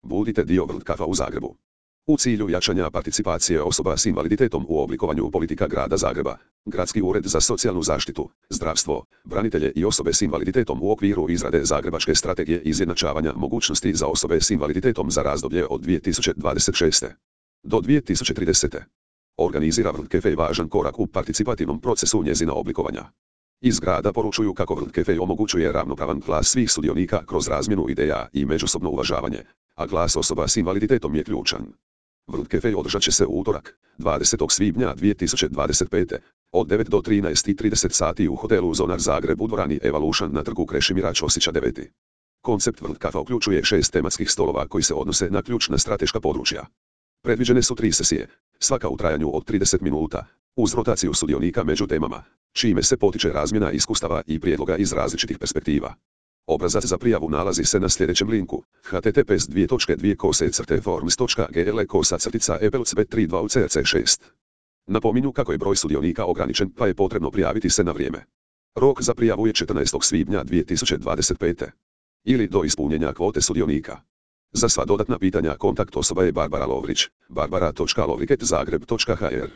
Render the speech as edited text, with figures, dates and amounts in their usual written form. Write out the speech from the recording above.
Budite dio World Cupa u Zagrebu. U cilju jačanja participacije osoba s invaliditetom u oblikovanju politika Grada Zagreba, Gradski ured za socijalnu zaštitu, zdravstvo, branitelje i osobe s invaliditetom u okviru izrade Zagrebačke strategije izjednačavanja mogućnosti za osobe s invaliditetom za razdoblje od 2026. do 2030. organizira World Cafe važan korak u participativnom procesu njezina oblikovanja. Iz grada poručuju kako World Cafe omogućuje ravnopravan glas svih sudionika kroz razmjenu ideja i međusobno uvažavanje, a glas osoba s invaliditetom je ključan. World Cafe održat će se u utorak, 20. svibnja 2025. od 9 do 13:30 sati u hotelu Zonar Zagreb u dvorani Evolution na trgu Krešimira Ćosića 9. Koncept World Cafa uključuje 6 tematskih stolova koji se odnose na ključna strateška područja. Predviđene su 3 sesije, svaka u trajanju od 30 minuta, uz rotaciju sudionika među temama, čime se potiče razmjena iskustava i prijedloga iz različitih perspektiva. Obrazac za prijavu nalazi se na sljedećem linku: https://forms.gle/kosa-epelcb32ucc6. Napominju kako je broj sudionika ograničen pa je potrebno prijaviti se na vrijeme. Rok za prijavu je 14. svibnja 2025. ili do ispunjenja kvote sudionika. Za sva dodatna pitanja kontakt osoba je Barbara Lovrić, barbara.lovriket@zagreb.hr.